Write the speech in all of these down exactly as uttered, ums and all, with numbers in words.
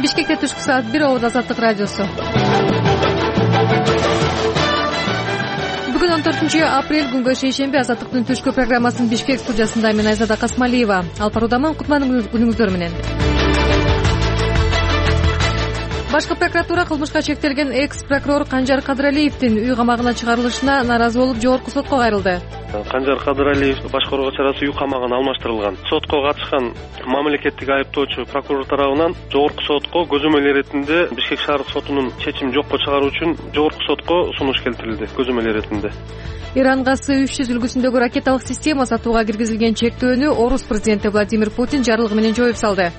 Бишкекте түшкү саат бир обод Азаттык радиосу. Бүгүн он төртүнчү апрель күнгө шейшемби. Азаттыктын түшкү программасынын Бишкек студиясында мен Айзада Касмалиева. Алпар Удаман, кутман күнүңүздөр менен. Башкы прокуратура кылмышка чектелген экс-прокурор Канжар Кадыралиевдин үй камагына чыгарылышына нааразы болуп жогорку сотко кайрылды. Канжар Кадыралиев башкарууга чарасы үй камагына алмаштырылган. Сотко катышкан мамлекеттик айыптоочу прокурор тарабынан жогорку сотко көзөмөл иретинде Бишкек шаардык сотунун чечимин жокко чыгаруу үчүн жогорку сотко сунуш келтирилди. Көзөмөл иретинде Иранга С үч жүз үлгүсүндөгү ракеталык система сатууга киргизилген чектөөнү орус президенти Владимир Путин жарлыгы менен жоюп салды.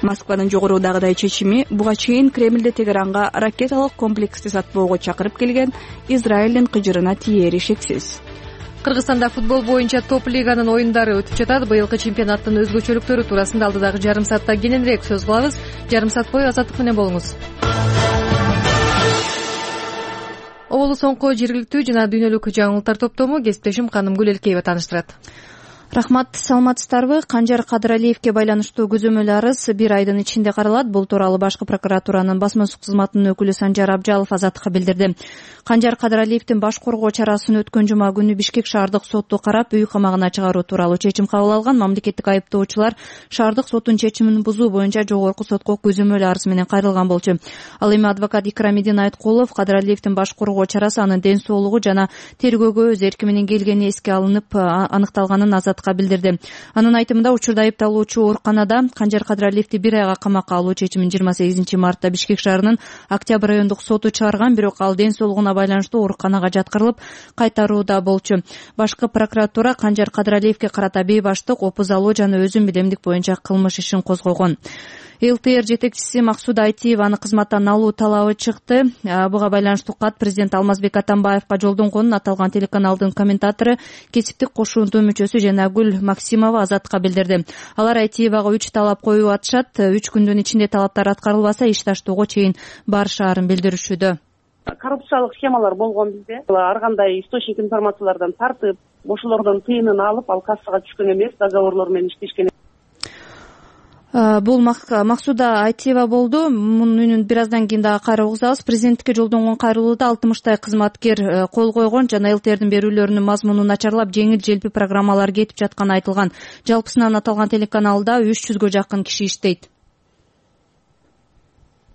Москванын жогорудагыдай чечими буга чейин Кремльде Тегеранга ракеталык комплексти сатпоого чакырып келген Израилдин кыжырына тиери шексиз. Кыргызстанда футбол боюнча топ лиганын оюндары өтүп жатат. Быйылкы чемпионаттын өзгөчөлүктөрү туурасында алдыдагы жарым саатта кененирээк сөз кылабыз. Жарым саат бою Азаттык менен болуңуз. Оболу соңку жергиликтүү жана дүйнөлүк жаңылыктар топтому кесиптешим Канымгүл Элкеева тааныштырат. Рахмат, саламатсыздарбы? Канжар Кадыралиевге байланыштуу көзөмөл арыз бир айдын ичинде каралат. Бул тууралуу башкы прокуратуранын басма кызматынын өкүлү Санжар Абжалов Азаттыкка билдирди. Канжар Кадыралиевдин баш коргоо чарасын өткөн жума күнү Бишкек шаардык соту карап, үй камагына чыгаруу тууралуу чечим кабыл алган. Мамлекеттик айыптоочулар шаардык соттун чечимин бузуу боюнча жогорку сотко көзөмөл арыз менен кайрылган болчу. Ал эми адвокат Икрамидин Айткулов Кадыралиевдин баш коргоо чарасы анын ден соолугу жана тергөөгө өз эрки менен келгени эске алынып аныкталганын Азаттыкка билдирди. Анын айтымында, учурда айыпталуучу ооруканада Канжар Кадыралиевди бир айга камакка алуу чечимин жыйырма сегизинчи мартта Бишкек шаарынын Октябрь райондук соту чыгарган, бирок ал ден соолугуна байланыштуу ооруканага жаткырылып кайтарууда болчу. Башкы прокуратура Канжар Кадыралиевге карата бейбаштык, опуз алуу жана өзүн билемдик боюнча кылмыш ишин козгогон. ЛТР жетекчиси Максуда Айтиеваны кызматтан алуу талабы чыкты. Буга байланыштуу кат президент Алмазбек Атамбаевга жолдонгонун аталган телеканалдын комментатору, кесиптик кошуунтуу мүчөсү Жанагүл Максимова Азаттыкка билдирди. Алар Айтиевага үч талап коюп атышат. үч күндүн ичинде талаптар аткарылбаса иш таштоого чейин барышаарын билдиришүүдө. Коррупциялык схемалар болгон бизде. Ар кандай источник информациялардан тартып, ошолордон тыйынын алып, ал кассага түшкөн эмес, договорлор менен иштешкен. Бул Максуда Айтиева болду. Мунун үнүн бир аздан кийин дагы кайра угузабыз. Президенттикке жолдонгон кайрылууда алтымыштай кызматкер кол койгон жана ЛТРдин берүүлөрүнүн мазмунун начарлап, жеңил-желпи программалар кетип жатканы айтылган. Жалпысынан аталган телеканалда үч жүзгө жакын киши иштейт.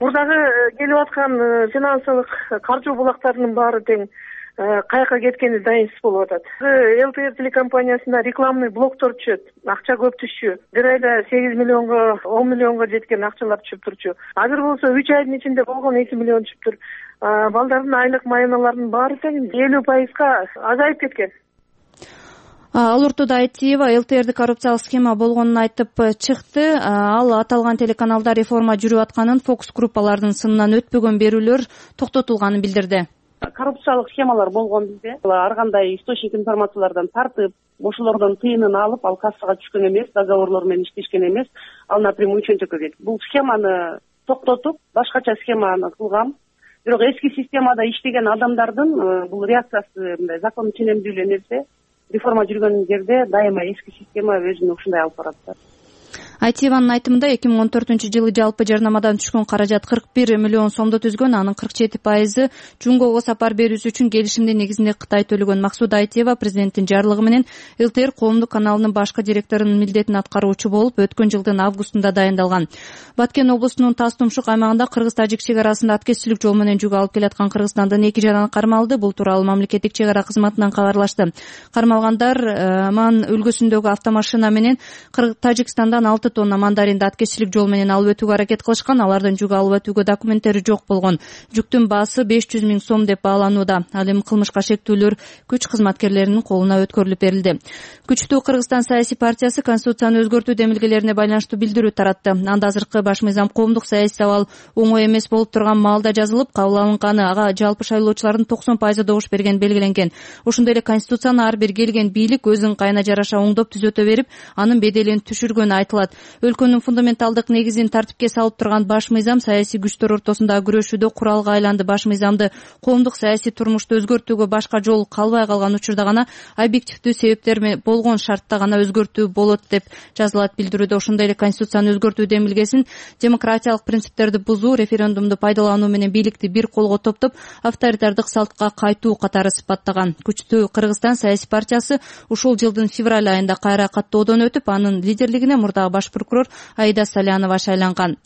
Мурдагы келип аткан финансылык каржы булактарынын баары тең каяка кеткени дайынсыз болуп атат. ЛТР телекомпаниясында рекламный блоктор түшөт, акча көп түшчү. Бир айда сегиз миллионго, он миллионго жеткен акчалар түшүп турчу. Азыр болсо үч айдын ичинде болгон эки миллион түшүптүр. Балдардын айлык майыналарынын баары тең элүү пайызга азайып кеткен. Ал ортодо Айтиева ЛТРди коррупциялык схема болгонун айтып чыкты. Ал аталган телеканалда реформа жүрүп атканын, фокус группалардын сынынан өтпөгөн берүүлөр токтотулганын билдирди. Коррупциялык схемалар болгон бизде. Ар кандай источник информациялардан тартып, ошолордон тыйынын алып, ал кассага түшкөн эмес, договорлор менен иштешкен эмес, ал напрямую чөнтөккө кетти. Бул схеманы токтотуп, башкача схеманы кылгам. Бирок эски системада иштеген адамдардын бул реакциясы мындай закон ченемдүүлүү нерсе. Реформа жүргөн жерде дайыма эски система өзүн ушундай алып барат. Айтиеванын айтымында эки миң он төртүнчү жылы жалпы жарнамадан түшкөн каражат кырк бир миллион сомду түзгөн. Анын кырк жети пайызы Жунгого сапар берүүсү үчүн келишимдин негизинде Кытай төлөгөн. Максуда Айтиева президенттин жарлыгы менен ЛТР коомдук каналынын башкы директорунун милдетин аткаруучу болуп, өткөн жылдын августунда дайындалган. Баткен облусунун Тас-Тумшук аймагында кыргыз-тажик чек арасында аткезчилик жол менен жүк алып келаткан Кыргызстандын эки жараны кармалды. Бул тууралуу мамлекеттик чек ара кызматынан кабарлашты. Кармалгандар Ман өлкөсүндөгү автомашина менен Тажикстандан алты тонна мандаринди аткезчилик жол менен алып өтүүгө аракет кылышкан. Алардын жүк алып өтүүгө документтери жок болгон. Жүктүн баасы беш жүз миң сом деп бааланууда. Ал эми кылмышка шектүүлөр күч кызматкерлеринин колуна өткөрүлүп берилди. Күчтүү Кыргызстан саясий партиясы конституцияны өзгөртүү демилгелерине байланыштуу билдирүү таратты. Анда азыркы баш мыйзам коомдук саясий абал оңой эмес болуп турган маалда жазылып, кабыл алынганы, ага жалпы шайлоочулардын токсон пайызы добуш берген белгиленген. Ошондой эле конституцияны ар бир келген бийлик өзүнүн кайына жараша оңдоп түзөтө берип, анын беделин түшүргөнү айтылат. Өлкөнүн фундаменталдык негизин тартипке салып турган баш мыйзам саясий күчтөр ортосундагы күрөшүүдө куралга айланды. Баш мыйзамды коомдук саясий турмушту өзгөртүүгө башка жол калбай калган учурда гана объективдүү себептер болгон шартта гана өзгөртүү болот деп жазылат билдирүүдө. Ошондой эле конституцияны өзгөртүү демилгесин демократиялык принциптерди бузуу, референдумду пайдалануу менен бийликти бир колго топтоп авторитардык салтка кайтуу катары сыпаттаган. Күчтүү Кыргызстан саясий партиясы ушул жылдын февраль айында кайра каттоодон өтүп, анын лидерлигине мурдагы баш прокурор Аида Салянова шайланган.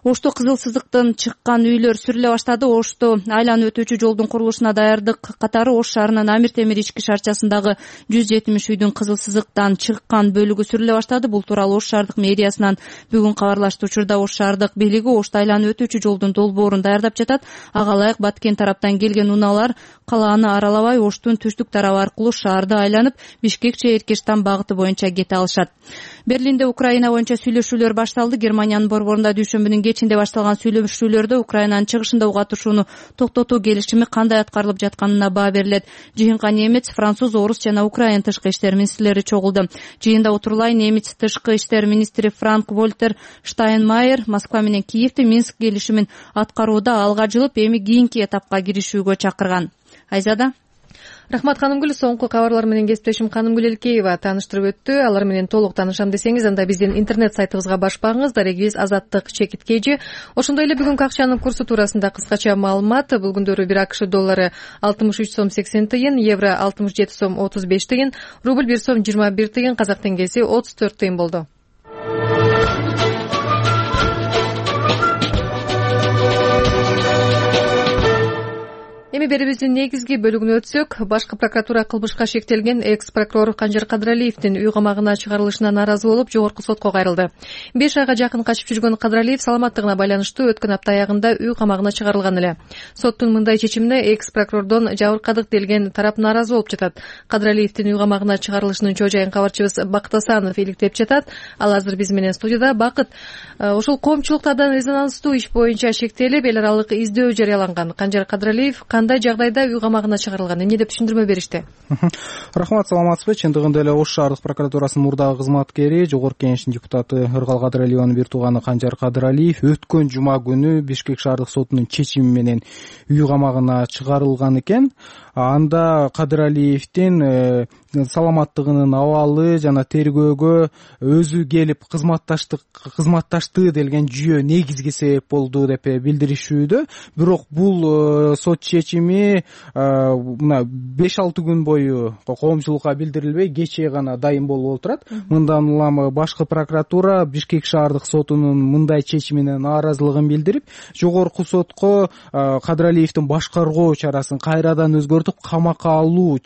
Ошто кызыл сызыктан чыккан үйлөр сүрүлө баштады. Ошто айланып өтүүчү жолдун курулушуна даярдык катары Ош шаарынын Амир Темир ички шарчасындагы жүз жетимиш үйдүн кызыл сызыктан чыккан бөлүгү сүрүлө баштады. Бул тууралуу Ош шаардык мэриясынан бүгүн кабарлашты. Учурда Ош шаардык бийлиги Ошто айланып өтүүчү жолдун долбоорун даярдап жатат. Ага ылайык Баткен тараптан келген унаалар калааны аралабай Оштун түштүк тарабы аркылуу шаарды айланып Бишкек-Эркештан багыты боюнча кете алышат. Берлинде Украина боюнча сүйлөшүүлөр башталды. Германиянын борборунда дүйшөмбүнүн кечинде башталган сүйлөшүүлөрдө Украинанын чыгышында уга атышууну токтотуу келишими кандай аткарылып жатканына баа берилет. Жыйынга немец, француз, орус жана украин тышкы иштер министрлери чогулду. Жыйында отурулай немец тышкы иштер министри Франк Вольтер Штайнмайер Москва менен Киевди Минск келишимин аткарууда алга жылып, эми кийинки этапка киришүүгө чакырган. Айзада. Рахмат Канымгүл. Соңку кабарлар менен кесиптешим Канымгүл Элкеева тааныштырып өттү. Алар менен толук таанышам десеңиз, анда биздин интернет сайтыбызга баш багыңыз. Дарегибиз азаттык чекит kg. Ошондой эле бүгүнкү акчанын курсу туурасында кыскача маалымат. Бул күндөрү бир АКШ доллары алтымыш үч сом сексен тыйын, евро алтымыш жети сом отуз беш тыйын, рубль бир сом жыйырма бир тыйын, казак теңгеси отуз төрт тыйын болду. Эми берибиздин негизги бөлүгүнө өтсөк, башкы прокуратура кылмышка шектелген экс прокурор Канжар Кадыралиевдин үй камагына чыгарылышына нааразы болуп, жогорку сотко кайрылды. беш айга жакын качып жүргөн Кадыралиев саламаттыгына байланыштуу өткөн апта аягында үй камагына чыгарылган эле. Соттун мындай чечимине экс прокурордон жабыркадык делген тарап нааразы болуп жатат. Кадыралиевдин үй камагына чыгарылышынын чоо жайын кабарчыбыз Бакыт Асанов иликтеп жатат. Ал азыр биз менен студияда. Бакыт, ушул коомчулуктардан резонанстуу иш боюнча шектелип, эл аралык издөө жарыяланган Канжар Кадыралиев кандай жагдайда үй камагына чыгарылган, эмне деп түшүндүрмө беришти? Рахмат, саламатсызбы? Чындыгында эле Ош шаардык прокуратурасынын мурдагы кызматкери, жогорку кеңештин депутаты Ыргал Кадыралиеванын бир тууганы Канжар Кадыралиев өткөн жума күнү Бишкек шаардык сотунун чечими менен үй камагына чыгарылган экен. Анда Кадыралиевдин саламаттыгынын абалы жана тергөөгө өзү келип кызматташтык кызматташты делген жүйө негизги себеп болду деп билдиришүүдө. Бирок бул сот чечими мына беш алты күн бою коомчулукка билдирилбей, кечээ гана дайым болуп отурат. Мындан улам башкы прокуратура Бишкек шаардык сотунун мындай чечимине нааразылыгын билдирип, жогорку сотко Кадыралиевдин башкаргоо чарасын кайрадан өзгөртүп камакка алуу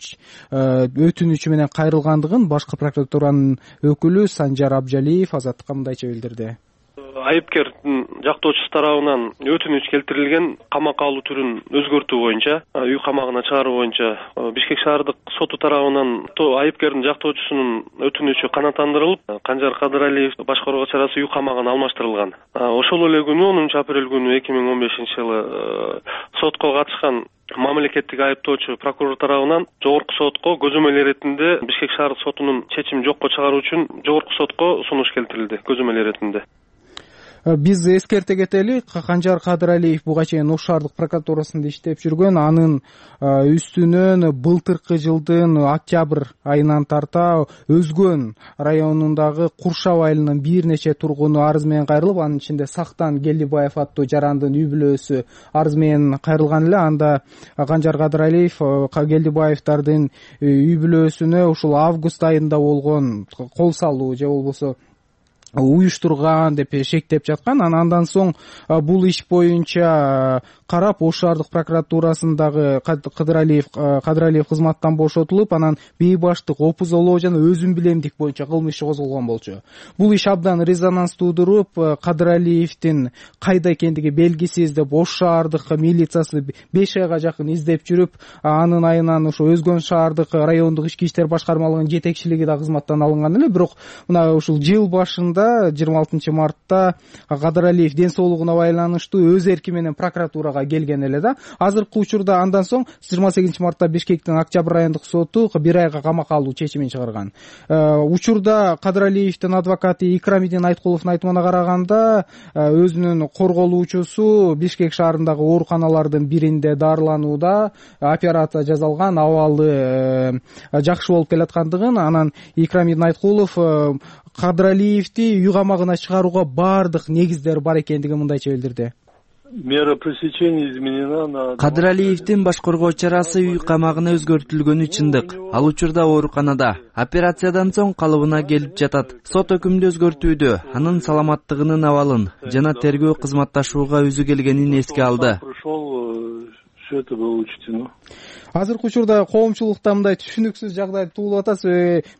өтүнүчү менен кайрылгандыгын башкы прокуратуранын өкүлү Санжар Абжалиев азаттыкка мындайча билдирди. Айыпкердин жактоочусу тарабынан өтүнүч келтирилген камакка алуу түрүн өзгөртүү боюнча, үй камагына чыгаруу боюнча Бишкек шаардык соту тарабынан айыпкердин жактоочусунун өтүнүчү канааттандырылып, Канжар Кадыралиев башкаруу чарасы үй камагына алмаштырылган. Ошол эле күнү онунчу апрель күнү эки миң он бешинчи жылы сотко катышкан мамлекеттик айыптоочу прокурор тарабынан жогорку сотко көзөмөл иретинде Бишкек шаардык сотунун чечимин жокко чыгаруу үчүн жогорку сотко сунуш келтирилди көзөмөл иретинде. Биз эскерте кетели, Канжар Кадыралиев буга чейин Ош шаардык прокуратурасында иштеп жүргөн. Анын үстүнөн былтыркы жылдын октябрь айынан тарта Өзгөн районундагы Куршап айылынын бир нече тургуну арыз менен кайрылып, анын ичинде Сактан Келдибаев аттуу жарандын үй бүлөсү арыз менен кайрылган эле. Анда Канжар Кадыралиев Келдибаевдардын үй бүлөсүнө ушул август айында болгон кол салуу же болбосо уюштурган деп шектеп жаткан. Андан соң бул иш боюнча карап Ош шаардык прокуратурасындагы Кадыралиев Кадыралиев кызматтан бошотулуп, анан бейбаштык, опузолоо жана өзүм билемдик боюнча кылмыш иши козголгон болчу. Бул иш абдан резонанс туудуруп, Кадыралиевдин кайда экендиги белгисиз деп Ош шаардык милициясы беш айга жакын издеп жүрүп, анын айынан ошо Өзгөн шаардык райондук ички иштер башкармалыгынын жетекчилиги да кызматтан алынган эле. Бирок мына ушул жыл башында айында жыйырма алтынчы мартта Кадыралиев ден соолугуна байланыштуу өз эрки менен прокуратурага келген эле да. Азыркы учурда андан соң жыйырма сегизинчи мартта Бишкектин Октябрь райондук соту бир айга камакка алуу чечимин чыгарган. Учурда Кадыралиевдин адвокаты Икрамидин Айткуловдун айтымына караганда өзүнүн корголуучусу Бишкек шаарындагы ооруканалардын биринде дарыланууда, операция жасалган, абалы жакшы болуп келаткандыгын, анан Икрамидин Айткулов Кадыралиевди үй камагына чыгарууга баардык негиздер бар экендигин мындайча билдирди. Мера пресечения изменена на... Кадыралиевдин баш коргоо чарасы үй камагына өзгөртүлгөнү чындык. Ал учурда ооруканада. Операциядан соң калыбына келип жатат. Сот өкүмдү өзгөртүүдө анын саламаттыгынын абалын жана тергөө кызматташууга өзү келгенин эске алды. Все это было учтено. Азыркы учурда коомчулукта мындай түшүнүксүз жагдай туулуп атат.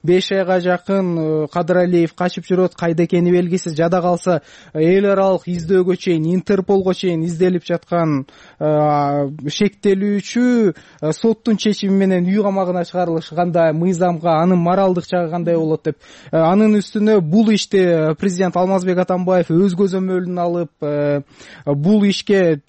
беш айга жакын Кадыралиев качып жүрөт, кайда экени белгисиз. Жада калса эл аралык издөөгө чейин, Интерполго чейин изделип жаткан шектелүүчү соттун чечими менен үй камагына чыгарылышы кандай мыйзамга, анын моралдык жагы кандай болот деп. Анын үстүнө бул ишти президент Алмазбек Атамбаев өз көзөмөлүнө алып, бул ишке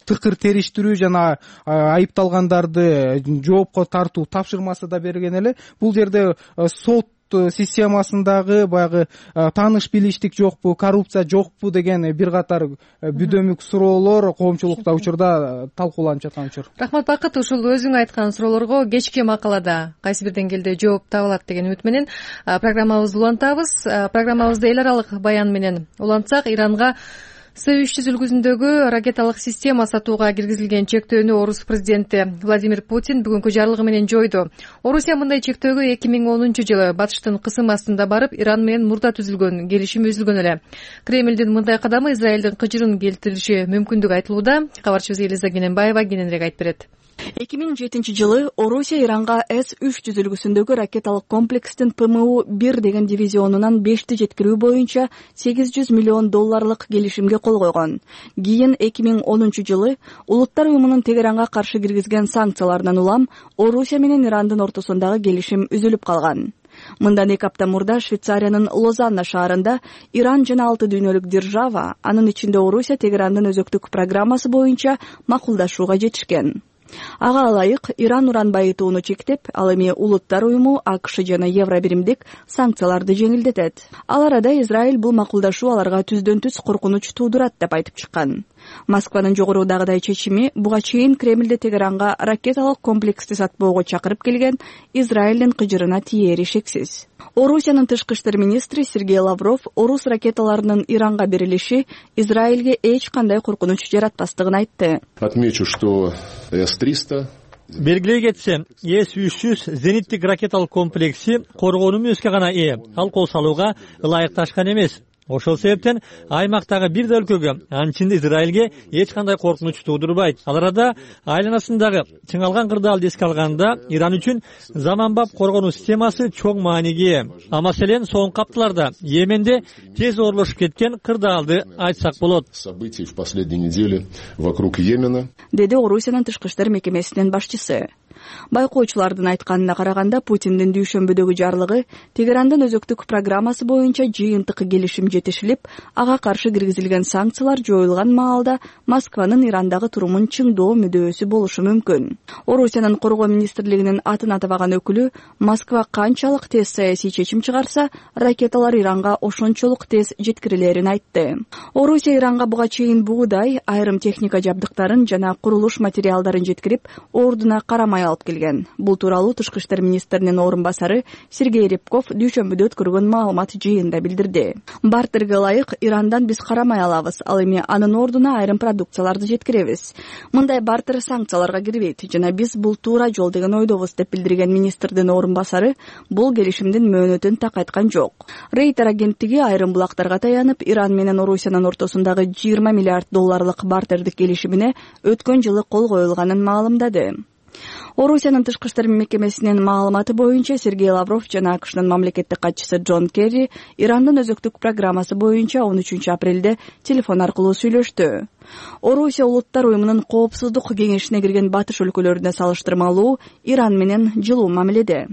тыкыр териштирүү жана айыпталгандарды жоопко тартуу тапшырмасы да берген эле. Бул жерде сот системасындагы баягы тааныш билиштик жокпу, коррупция жокпу деген бир катар бүдөмүк суроолор коомчулукта учурда талкууланып жаткан учур. Рахмат Бакыт, ушул өзүң айткан суроолорго кечки макалада кайсы бир деңгээлде жооп табылат деген үмүт менен программабызды улантабыз. Программабызды эл аралык баян менен улантсак, Иранга С үч жүз үлгүсүндөгү ракеталык система сатууга киргизилген чектөөнү Орус президенти Владимир Путин бүгүнкү жарлыгы менен жойду. Орусия мындай чектөөгө эки миң онунчу жылы батыштын кысым астында барып, Иран менен мурда түзүлгөн келишим үзүлгөн эле. Кремлдин мындай кадамы Израилдин кыжырын келтириши мүмкүндүгү айтылууда. Кабарчыбыз Элиза Кененбаева кененирээк айтып берет. эки миң жетинчи жылы Орусия Иранга С үч жүз үлгүсүндөгү ракеталык комплекстин П М У бир деген дивизионунан бешти жеткирүү боюнча сегиз жүз миллион долларлык келишимге кол койгон. Кийин эки миң онунчу жылы Улуттар уюмунун Тегеранга каршы киргизген санкциялардан улам Орусия менен Ирандын ортосундагы келишим үзүлүп калган. Мындан эки апта мурда Швейцариянын Лозанна шаарында Иран жана алты дүйнөлүк держава, анын ичинде Орусия Тегерандын өзөктүк программасы боюнча макулдашууга жетишкен. Ага ылайык Иран уран байытууну чектеп, ал эми Улуттар уюму, А К Ш жана Евробиримдик санкцияларды жеңилдетет. Ал арада Израиль бул макулдашуу аларга түздөн түз коркунуч туудурат деп айтып чыккан. Москванын жогорудагыдай чечими буга чейин Кремлде Тегеранга ракеталык комплексти сатпоого чакырып келген Израилдин кыжырына тиери шексиз. Орусиянын тышкы иштер министри Сергей Лавров орус ракеталарынын Иранга берилиши Израилге эч кандай коркунуч жаратпастыгын айтты. Отмечу, что С триста белгилей кетсе, С үч жүз зениттик ракеталык комплекси коргонуу мүнөзгө гана ээ, ал кол салууга ылайыкташкан эмес. Ошол себептен аймактагы бир да өлкөгө, анчында Израилге эч кандай коркунуч туудурбайт. Ал арада айланасындагы чыңалган кырдаалды эске алганда Иран үчүн заманбап коргонуу системасы чоң мааниге ээ. А маселен соңку апталарда Йеменде тез оорулушуп кеткен кырдаалды айтсак болот. Событий в последней неделе вокруг Йемена, деди Орусиянын тышкы иштер мекемесинин башчысы. Байкоочулардын айтканына караганда, Путиндин дүйшөмбүдөгү жарлыгы Тегерандын өзөктүк программасы боюнча жыйынтык келишим жетишилип, ага каршы киргизилген санкциялар жоюлган маалда Москванын Ирандагы турумун чыңдоо мүдөөсү болушу мүмкүн. Орусиянын коргоо министрлигинин атын атабаган өкүлү Москва канчалык тез саясий чечим чыгарса, ракеталар Иранга ошончолук тез жеткирилерин айтты. Орусия Иранга буга чейин буудай, айрым техника жабдыктарын жана курулуш материалдарын жеткирип, ордуна карамай алып келген. Бул тууралуу тышкы иштер министринин орун басары Сергей Рябков дүйшөмбүдө өткөргөн маалымат жыйында билдирди. Бартерге ылайык Ирандан биз карамай алабыз, ал эми анын ордуна айрым продукцияларды жеткиребиз. Мындай бартер санкцияларга кирбейт жана биз бул туура жол деген ойдобуз деп билдирген министрдин орун басары бул келишимдин мөөнөтүн так айткан жок. Рейтер агенттиги айрым булактарга таянып, Иран менен Орусиянын ортосундагы жыйырма миллиард долларлык бартердик келишимине өткөн жылы кол коюлганын маалымдады. Орусиянын тышкы иштер мекемесинин маалыматы боюнча Сергей Лавров жана А К Шнын мамлекеттик катчысы Джон Керри Ирандын өзөктүк программасы боюнча он үчүнчү апрелде телефон аркылуу сүйлөштү. Орусия Улуттар уюмунун коопсуздук кеңешине кирген батыш өлкөлөрүнө салыштырмалуу Иран менен жылуу мамиледе.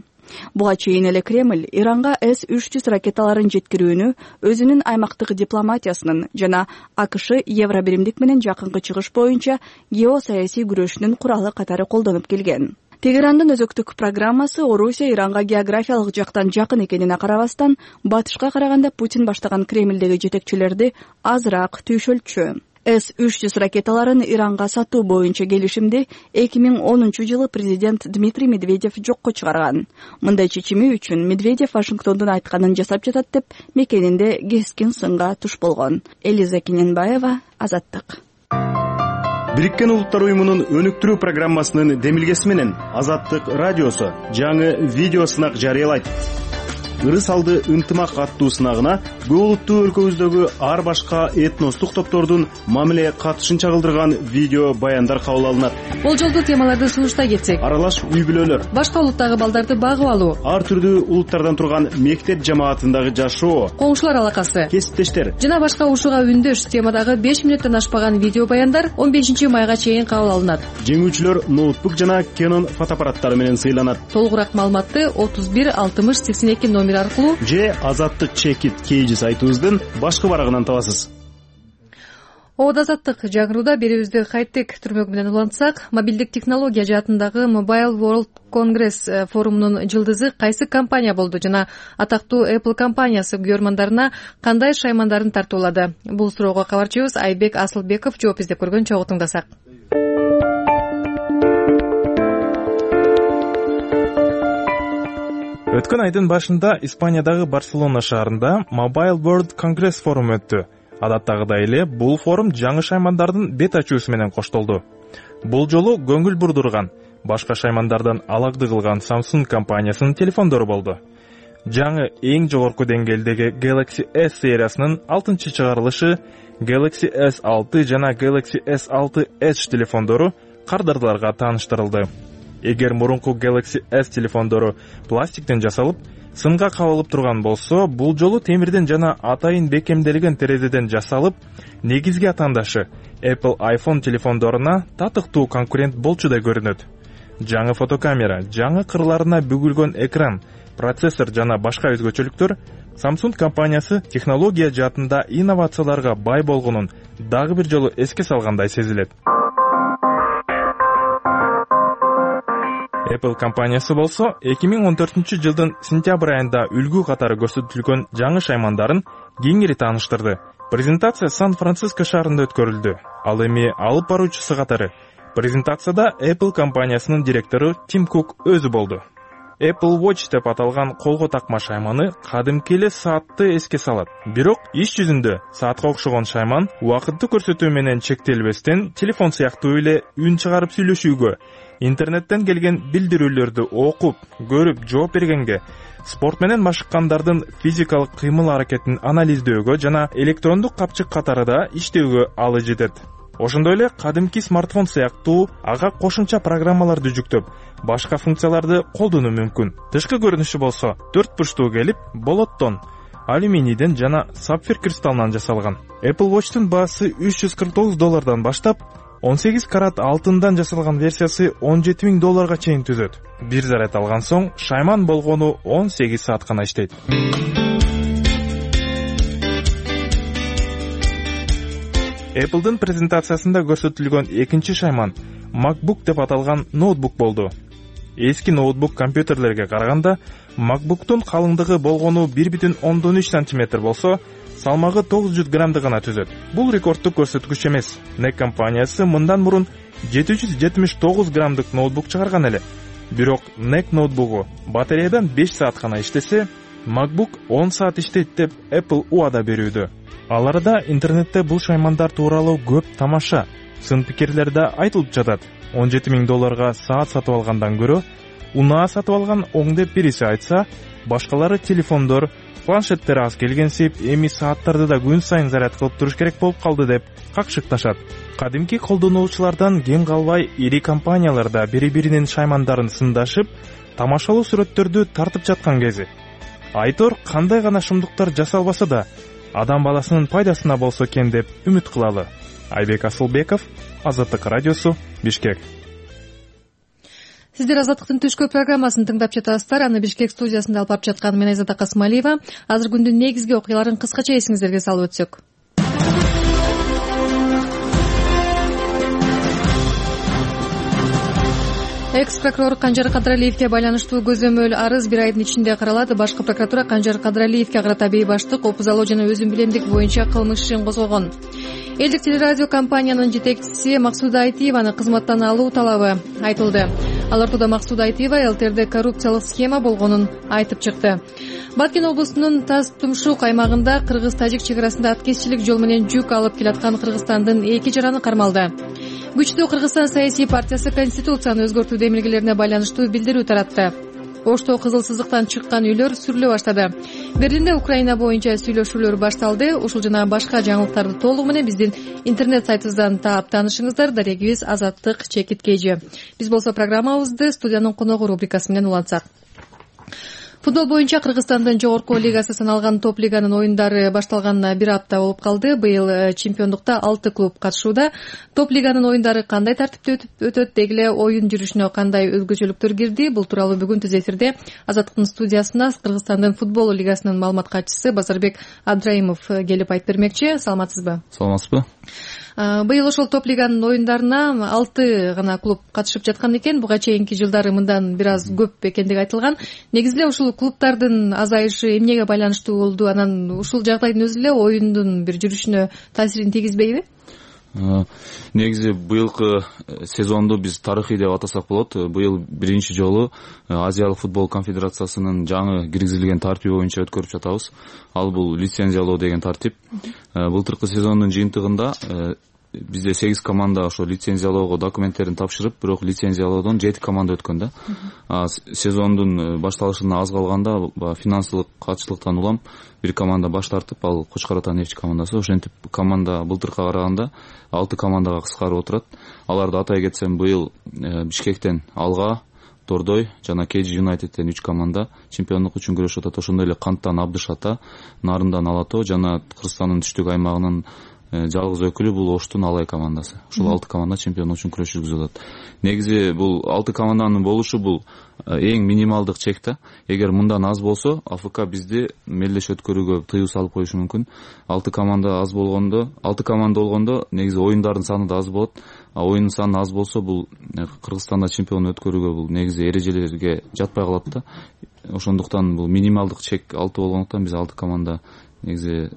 Буга чейин эле Кремль Иранга эс үч жүз ракеталарын жеткирүүнү өзүнүн аймактык дипломатиясынын жана АКШ Евробиримдик менен жакынкы чыгыш боюнча геосаясий күрөшүнүн куралы катары колдонуп келген. Тегерандын өзөктүк программасы Орусия Иранга географиялык жактан жакын экенине карабастан, батышка караганда Путин баштаган Кремлдеги жетекчилерди азыраак түйшөлтчү. эс үч жүз ракеталарын Иранга сатуу боюнча келишимди эки миң онунчу жылы президент Дмитрий Медведев жокко чыгарган. Мындай чечими үчүн Медведев Вашингтондун айтканын жасап жатат деп мекенинде кескин сынга туш болгон. Элиза Кененбаева, Азаттык. Бириккен Улуттар уюмунун өнүктүрүү программасынын демилгеси менен Азаттык радиосу жаңы видео сынак жарыялайт. Ырыс алды ынтымак аттуу сынагына көп улуттуу өлкөбүздөгү ар башка этностук топтордун мамиле катышын чагылдырган видео баяндар кабыл алынат. Болжолдуу темаларды сунуштай кетсек: аралаш үй бүлөлөр, башка улуттагы балдарды багып алуу, ар түрдүү улуттардан турган мектеп жамаатындагы жашоо, коңшулар алакасы, кесиптештер жана башка ушуга үндөш темадагы беш мүнөттөн ашпаган видео баяндар он бешинчи майга чейин кабыл алынат. Жеңүүчүлөр ноутбук жана Canon фотоаппараттары менен сыйланат. Толугураак маалыматты отуз бир алтымыш сексен эки номер аркылуу же Азаттык чекит кейжи сайтыбыздын башкы барагынан табасыз. Обод Азаттык жаңыруудо берүүбүздү кайттык түрмөк менен улантсак, мобилдик технология жаатындагы Mobile World Congress форумунун жылдызы кайсы компания болду жана атактуу Apple компаниясы көрмандарына кандай шаймандарын тартуулады? Бул суроого кабарчыбыз Айбек Асылбеков жооп издеп көргөн, чогуу тыңдасак. Өткөн айдын башында Испаниядагы Барселона шаарында Mobile World Congress форуму өттү. Адаттагыдай эле бул форум жаңы шаймандардын бет ачуусу менен коштолду. Бул жолу көңүл бурдурган, башка шаймандардан алакты кылган Samsung компаниясынын телефондору болду. Жаңы эң жогорку деңгээлдеги Galaxy S сериясынын алтынчы чыгарылышы Galaxy S алты жана Galaxy S алты Edge телефондору кардарларга тааныштырылды. Эгер мурунку Galaxy S телефондору пластиктен жасалып, сынга кабылып турган болсо, бул жолу темирден жана атайын бекемделген терезеден жасалып, негизги атаандашы Apple iPhone телефондоруна татыктуу конкурент болчудай көрүнөт. Жаңы фотокамера, жаңы кырларына бүгүлгөн экран, процессор жана башка өзгөчөлүктөр Samsung компаниясы технология жаатында инновацияларга бай болгонун дагы бир жолу эске салгандай сезилет. Apple компаниясы болсо эки миң он төртүнчү жылдын сентябрь айында үлгү катары көрсөтүлгөн жаңы шаймандарын кеңири тааныштырды. Презентация Сан-Франциско шаарында өткөрүлдү. Ал эми алып баруучусу катары презентацияда Apple компаниясынын директору Тим Кук өзү болду. Apple Watch деп аталган колго такма шайманы кадимки эле саатты эске салат. Бирок иш жүзүндө саатка окшогон шайман убакытты көрсөтүү менен чектелбестен телефон сыяктуу эле үн чыгарып сүйлөшүүгө, интернеттен келген билдирүүлөрдү окуп, көрүп, жооп бергенге, спорт менен машыккандардын физикалык кыймыл аракетин анализдөөгө жана электрондук капчык катары да иштөөгө алы жетет. Ошондой эле кадимки смартфон сыяктуу ага кошумча программаларды жүктөп, башка функцияларды колдонуу мүмкүн. Тышкы көрүнүшү болсо төрт бурчтуу келип, болоттон, алюминийден жана сапфир кристаллынан жасалган. Apple Watch'тун баасы үч жүз кырк тогуз доллардан баштап, он сегиз карат алтындан жасалган версиясы он жети миң долларга чейин түзөт. Бир заряд алган соң шайман болгону он сегиз саат гана иштейт. Apple'дын презентациясында көрсөтүлгөн экинчи шайман MacBook деп аталган ноутбук болду. Эски ноутбук компьютерлерге караганда MacBook'тун калыңдыгы болгону бир бүтүн ондон үч сантиметр болсо, салмагы тогуз жүз граммды гана түзөт. Бул рекордтук көрсөткүч эмес. Нек компаниясы мындан мурун жети жүз жетимиш тогуз граммдык ноутбук чыгарган эле. Бирок Нек ноутбугу батареядан беш саат гана иштесе, MacBook он саат иштейт деп Apple убада берүүдө. Ал арада интернетте бул шаймандар тууралуу көп тамаша, сын пикирлер да айтылып жатат. он жети миң долларга саат сатып алгандан көрө, унаа сатып алган оң деп бириси айтса, башкалары телефондор, планшеттер аз келгенсип, эми сааттарды да күн сайын заряд кылып туруш керек болуп калды деп какшыкташат. Кадимки колдонуучулардан кем калбай ири компаниялар да бири-биринин шаймандарын сындашып, тамашалуу сүрөттөрдү тартып жаткан кези. Айтор кандай гана шумдуктар жасалбаса да, адам баласынын пайдасына болсо экен деп үмүт кылалы. Айбек Асылбеков, Азаттык радиосу, Бишкек. сиздер Азаттыктын түшкү программасын тыңдап жатасыздар. Аны Бишкек студиясында алып барып жаткан мен Айзада Касымалиева. Азыр күндүн негизги окуяларын кыскача эсиңиздерге салып өтсөк. Экс прокурор Канжар Кадралиевке байланыштуу көзөмөл арыз бир айдын ичинде каралат. Башкы прокуратура Канжар Кадралиевке карата бейбаштык, опузалоо жана өзүн билемдик боюнча кылмыш ишин козгогон. Элдик телерадио компаниянын жетекчиси Максуда Айтиеваны кызматтан алуу талабы айтылды. Ал ортодо Максуда Айтиева ЛТРде коррупциялык схема болгонун айтып чыкты. Баткен облусунун Таз-Тумшук аймагында кыргыз-тажик чек арасында аткезчилик жол менен жүк алып келаткан Кыргызстандын эки жараны кармалды. Күчтүү Кыргызстан саясий партиясы Конституцияны өзгөртүү демилгелерине байланыштуу билдирүү таратты. Ошто кызыл сызыктан чыккан үйлөр сүрүлө баштады. Берлинде Украина боюнча сүйлөшүүлөр башталды. Ушул жана башка жаңылыктарды толугу менен биздин интернет сайтыбыздан таап таанышыңыздар. Дарегибиз Азаттык чекит кежи. Биз болсо программабызды студиянын коногу рубрикасы менен улантсак. Футбол боюнча Кыргызстандын жогорку лигасы саналган топ лиганын оюндары башталганына бир апта болуп калды. Быйыл чемпиондукта алты клуб катышууда. Топ лиганын оюндары кандай тартипте өтөт, деги эле оюн жүрүшүнө кандай өзгөчөлүктөр кирди? Бул тууралуу бүгүн түз эфирде Азаттыктын студиясына Кыргызстандын футбол лигасынын маалымат катчысы Базарбек Абдраимов келип айтып бермекчи. Саламатсызбы? Саламатсызбы. Быйыл ошол топ лиганын оюндарына алты гана клуб катышып жаткан экен. Буга чейинки жылдары мындан бир аз көп экендиги айтылган. Негизи эле ушул клубтардын азайышы эмнеге байланыштуу болду? Анан ушул жагдайдын өзү эле оюндун бир жүрүшүнө таасирин тийгизбейби? Негизи быйылкы сезонду биз тарыхый деп атасак болот. Быйыл биринчи жолу Азиялык футбол конфедерациясынын жаңы киргизилген тартиби боюнча өткөрүп жатабыз. Ал бул лицензиялоо деген тартип. Былтыркы сезондун жыйынтыгында бизде сегиз команда ошо лицензиялоого документтерин тапшырып, бирок лицензиялоодон жети команда өткөн да. Сезондун башталышына аз калганда финансылык катчылыктан улам бир команда баш тартып, ал Кочкор Ата нефть командасы. Ошентип команда былтыркыга караганда алты командага кыскарып отурат. Аларды атай кетсем, быйыл Бишкектен Алга, Тордой жана Кейджи Юнайтедтен үч команда чемпиондук үчүн күрөшүп атат. Ошондой эле Канттан Абдыш Ата, Нарындан Алато жана Кыргызстандын түштүк аймагынын жалгыз өкүлү бул Оштун Алай командасы. Ушул алты команда чемпиондук үчүн күрөш жүргүзүп атат. Негизи бул алты команданын болушу бул эң минималдык чек да. Эгер мындан аз болсо, АФК бизди мелдеш өткөрүүгө тыюу салып коюшу мүмкүн. алты команда аз болгондо, алты команда болгондо негизи оюндардын саны да аз болот. А оюндун саны аз болсо, бул Кыргызстанда чемпион өткөрүүгө бул негизи эрежелерге жатпай калат да. Ошондуктан бул минималдык чек алты болгондуктан биз алты команда негизи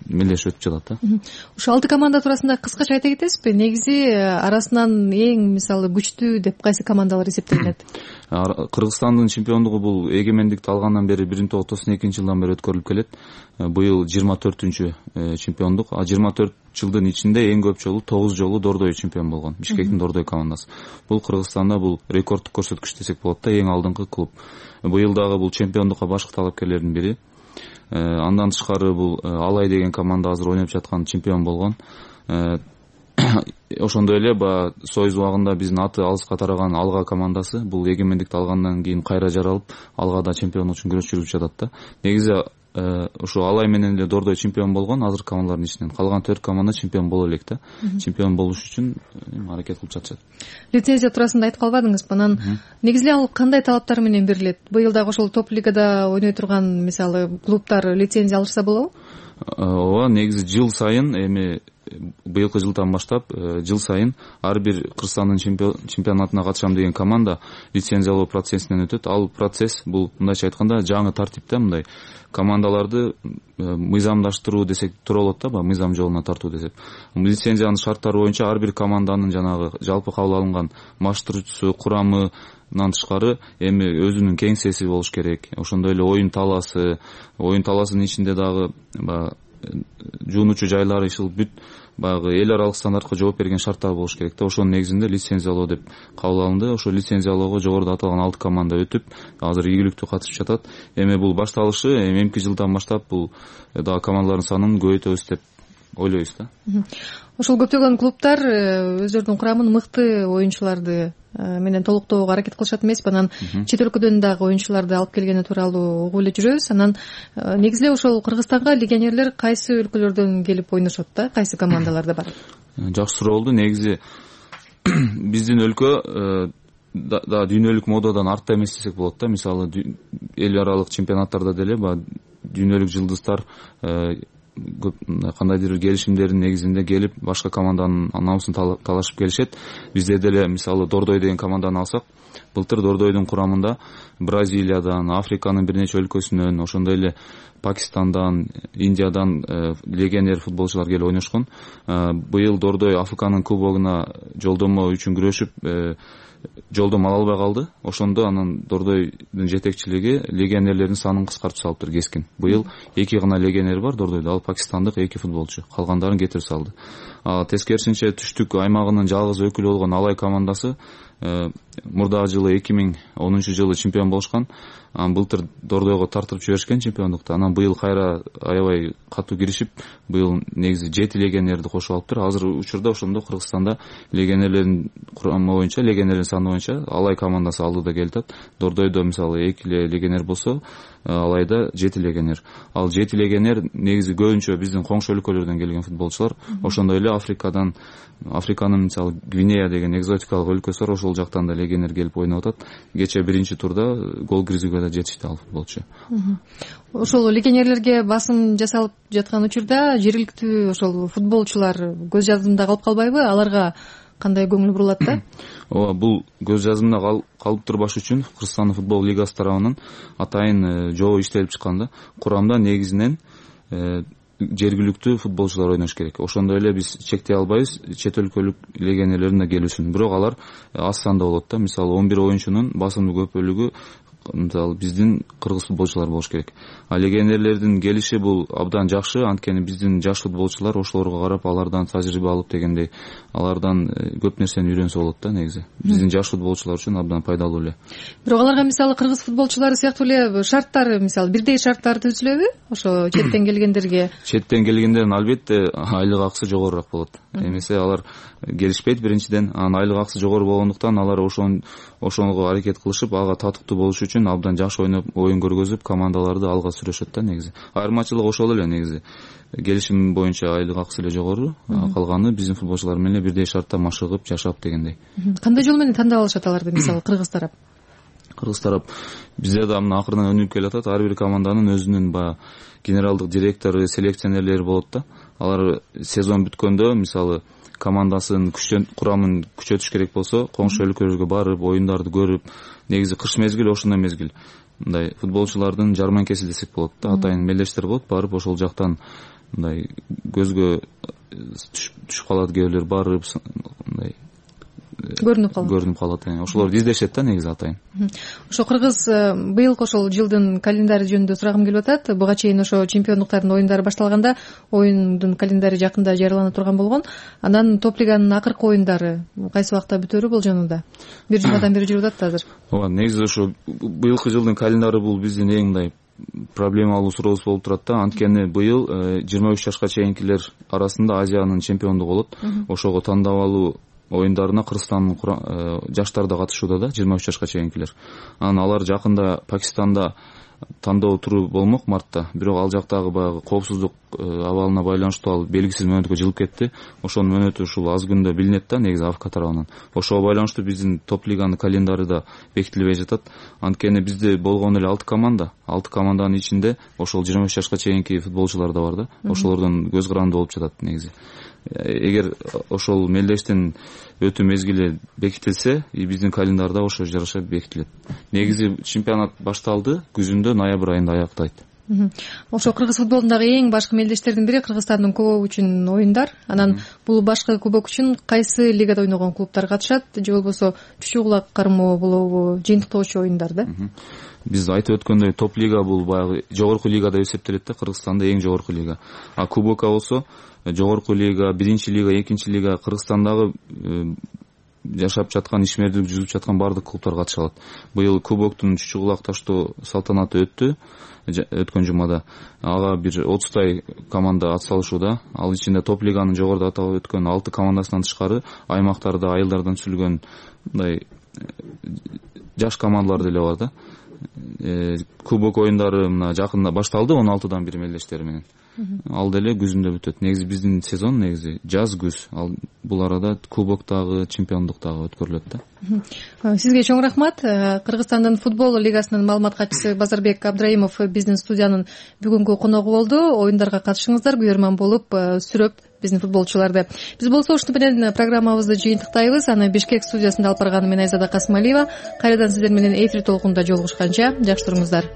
мелдеш өтүп жатат да. Ушул алты команда туурасында кыскача айта кетесизби? Негизи арасынан эң мисалы күчтүү деп кайсы командалар эсептелет? Кыргызстандын чемпиондугу бул эгемендикти алгандан бери бир миң тогуз жүз токсон экинчи жылдан бери өткөрүлүп келет. Быйыл жыйырма төртүнчү чемпиондук. А жыйырма төрт жылдын ичинде эң көп жолу тогуз жолу Дордой чемпион болгон. Бишкектин Дордой командасы. Бул Кыргызстанда бул рекордтук көрсөткүч десек болот да, эң алдыңкы клуб. Быйыл дагы бул чемпиондукка башкы талапкерлердин бири. Андан тышкары бул Алай деген команда азыр ойноп жаткан чемпион болгон. Ошондой эле баягы Союз убагында биздин аты алыска тараган Алга командасы бул эгемендикти алгандан кийин кайра жаралып, Алгада чемпиондук үчүн күрөш жүрүп жатат да. Негизи ошо Алай менен эле Дордой чемпион болгон, азыр командалардын ичинен калган төрт команда чемпион боло элек да. Чемпион болуш үчүн аракет кылып жатышат. Лицензия туурасында айтып калбадыңызбы? Анан негизи эле ал кандай талаптар менен берилет? Быйыл дагы ошол топ лигада ойной турган мисалы клубтар лицензия алышса болобу? Ооба, негизи жыл сайын эми быйылкы жылдан баштап жыл сайын ар бир Кыргызстандын чемпионатына катышам деген команда лицензиялоо процессинен өтөт. Ал процесс бул мындайча айтканда жаңы тартипте, мындай командаларды мыйзамдаштыруу десек туура болот да, мыйзам жолуна тартуу десек. Лицензиянын шарттары боюнча ар бир команданын жанагы жалпы кабыл алынган масштурчусу, курамынан тышкары эми өзүнүн кеңсеси болуш керек. Ошондой эле оюн талаасы, оюн талаасынын ичинде дагы баягы жуунуучу жайлары ишил бүт баягы эл аралык стандартка жооп берген шарттар болуш керек да. Ошонун негизинде лицензиялоо деп кабыл алынды. Ошо лицензиялоого жогоруда аталган алты команда өтүп, азыр ийгиликтүү катышып жатат. Эми бул башталышы эмки жылдан баштап бул дагы командалардын санын көбөйтөбүз деп ойлойбуз да. Ошол көптөгөн клубтар өздөрүнүн курамын мыкты оюнчуларды менен толуктоого аракет кылышат эмеспи? Анан чет өлкөдөн дагы оюнчуларды алып келгени тууралуу угуп эле жүрөбүз. Анан негизи эле ошол Кыргызстанга легионерлер кайсы өлкөлөрдөн келип ойношот да? Кайсы командаларда бар? Жакшы суроо болду. Негизи биздин өлкө да дүйнөлүк модадан артта эмес десек болот да. Мисалы эл аралык чемпионаттарда деле баягы дүйнөлүк жылдыздар кандайдыр бир келишимдердин негизинде келип башка команданын намысын талашып келишет. Бизде деле мисалы Дордой деген команданы алсак, былтыр Дордойдун курамында Бразилиядан, Африканын бир нече өлкөсүнөн, ошондой эле Пакистандан, Индиядан легионер футболчулар келип ойношкон. Быйыл Дордой Африканын кубогуна жолдомо үчүн күрөшүп жолдом ала албай калды. Ошондо анан Дордойдун жетекчилиги легионерлердин санын кыскартып салыптыр кескин. Быйыл эки гана легионер бар Дордойдо, ал пакистандык эки футболчу. Калгандарын кетирип салды. Тескерисинче түштүк аймагынын жалгыз өкүлү болгон Алай командасы мурдагы жылы эки миң онунчу жылы чемпион болушкан. Анан былтыр Дордойго тартырып жиберишкен чемпиондукту. Анан быйыл кайра аябай катуу киришип, быйыл негизи жети легионерди кошуп алыптыр. Азыр учурда ошондо Кыргызстанда легионерлердин курамы боюнча, легионерлердин саны боюнча Алай командасы алдыда келатат. Дордойдо мисалы эки легионер болсо, Алайда жети легионер. Ал жети легионер негизи көбүнчө биздин коңшу өлкөлөрдөн келген футболчулар. Ошондой эле Африкадан, Африканын мисалы Гвинея деген экзотикалык өлкөсү бар, ошол жактан да легионер келип ойноп атат. Кече биринчи турда гол киргизүүгө да жетишти ал футболчу. Ошол легионерлерге басым жасалып жаткан учурда жергиликтүү ошол футболчулар көз жазымда калып калбайбы? Аларга кандай көңүл бурулат да? Ооба, бул көз жазымда калып турбаш үчүн Кыргызстан футбол лигасы тарабынан атайын жобо иштелип чыккан да. Курамда негизинен жергиликтүү футболчулар ойнош керек. Ошондой эле биз чектей албайбыз чет өлкөлүк легионерлердин да келүүсүн. Бирок алар аз санда болот да. Мисалы он бир оюнчунун басымдуу көп бөлүгү мисалы биздин кыргыз футболчулар болуш керек. А легионерлердин келиши бул абдан жакшы, анткени биздин жаш футболчулар ошолорго карап алардан тажрыйба алып дегендей, алардан көп нерсени үйрөнсө болот да негизи. Биздин жаш футболчулар үчүн абдан пайдалуу эле. Бирок аларга мисалы кыргыз футболчулары сыяктуу эле шарттар, мисалы бирдей шарттар түзүлөбү? Ошо четтен келгендерге. Четтен келгендердин албетте айлык акысы жогорураак болот. Эмесе алар келишпейт биринчиден, анан айлык акысы жогору болгондуктан алар ошон ошого аракет кылышып, ага татыктуу болуш үчүн абдан жакшы ойноп, оюн көргөзүп, командаларды алга сүрөшөт да негизи. Айырмачылык ошол эле негизи. Келишим боюнча айлык акысы эле жогору, калганы биздин футболчулар менен бирдей шартта машыгып, жашап дегендей. Кандай жол менен тандап алышат аларды, мисалы кыргыз тарап? Кыргыз тарап бизде да мына акырынан өнүгүп келатат. Ар бир команданын өзүнүн баягы генералдык директору, селекционерлери болот да. Алар сезон бүткөндө мисалы командасын күчтөн курамын күчөтүш керек болсо, коңшу өлкөлөргө барып, оюндарды көрүп, негизи кыш мезгили ошондой мезгил. Мындай футболчулардын жарманкеси десек болот да, атайын мелдештер болот, барып ошол жактан мындай көзгө түшүп калат, кээ бирлер барып мындай көрүнүп калат. Көрүнүп калат. Ошолорду издешет да негизи атайын. Ошо кыргыз быйылкы ошол жылдын календари жөнүндө сурагым келип атат. Буга чейин ошо чемпиондуктардын оюндары башталганда оюндун календари жакында жарыялана турган болгон. Анан топ лиганын акыркы оюндары кайсы убакта бүтөөрү болжонууда? Бир жумадан бери жүрүп атат азыр. Ооба, негизи ошо быйылкы жылдын календары бул биздин эң мындай проблемалуу сурообуз болуп турат да. Анткени быйыл жыйырма үч жашка чейинкилер арасында Азиянын чемпиондугу болот. Ошого тандабалуу оюндарына Кыргызстандын жаштары да катышууда да, жыйырма үч жашка чейинкилер. Анан алар жакында Пакистанда тандоо туру болмок мартта, бирок ал жактагы баягы коопсуздук абалына байланыштуу ал белгисиз мөөнөткө жылып кетти. Ошонун мөөнөтү ушул аз күндө билинет да негизи АФК тарабынан. Ошого байланыштуу биздин топ лиганын календары да бекитилбей жатат. Анткени бизде болгон эле алты команда, алты команданын ичинде ошол жыйырма үч жашка чейинки футболчулар да бар да. Ошолордон көз каранды болуп жатат негизи. Эгер ошол мелдештин өтүү мезгили бекитилсе, биздин календарда ошо жараша бекитилет. Негизи чемпионат башталды, күзүндө ноябрь айында аяктайт. Ошо кыргыз футболундагы эң башкы мелдештердин бири Кыргызстандын кубогу үчүн оюндар. Анан бул башкы кубок үчүн кайсы лигада ойногон клубтар катышат, же болбосо чүчү кулак кармоо болобу, жыйынтыктоочу оюндар да? Биз айтып өткөндөй топ лига бул баягы жогорку лига деп эсептелет да, Кыргызстанда эң жогорку лига. А кубокка болсо жогорку лига, биринчи лига, экинчи лига, Кыргызстандагы жашап жаткан, ишмердүүлүк жүзүп жаткан баардык клубтар катыша алат. Быйыл кубоктун чүчү кулак таштоо салтанаты өттү өткөн жумада. Ага бир отуздай команда ат салышууда. Ал ичинде топ лиганын жогоруда атап өткөн алты командасынан тышкары аймактарда айылдардан түзүлгөн мындай жаш командалар деле бар да. кубок оюндары мына жакында башталды, он алтыдан бир мелдештери менен. Ал деле күзүндө бүтөт. Негизи биздин сезон негизи жаз күз. Ал бул арада кубоктагы, чемпиондуктагы өткөрүлөт да. Сизге чоң рахмат. Кыргызстандын футбол лигасынын маалымат катчысы Базарбек Абдраимов биздин студиянын бүгүнкү коногу болду. Оюндарга катышыңыздар, күйөрман болуп, сүрөп биздин футболчуларды. Биз болсо ушуну менен программабызды жыйынтыктайбыз. Аны Бишкек студиясында алып барган мен Айзада Касымалиева. Кайрадан сиздер менен эфир толкунунда жолугушканча жакшы туруңуздар.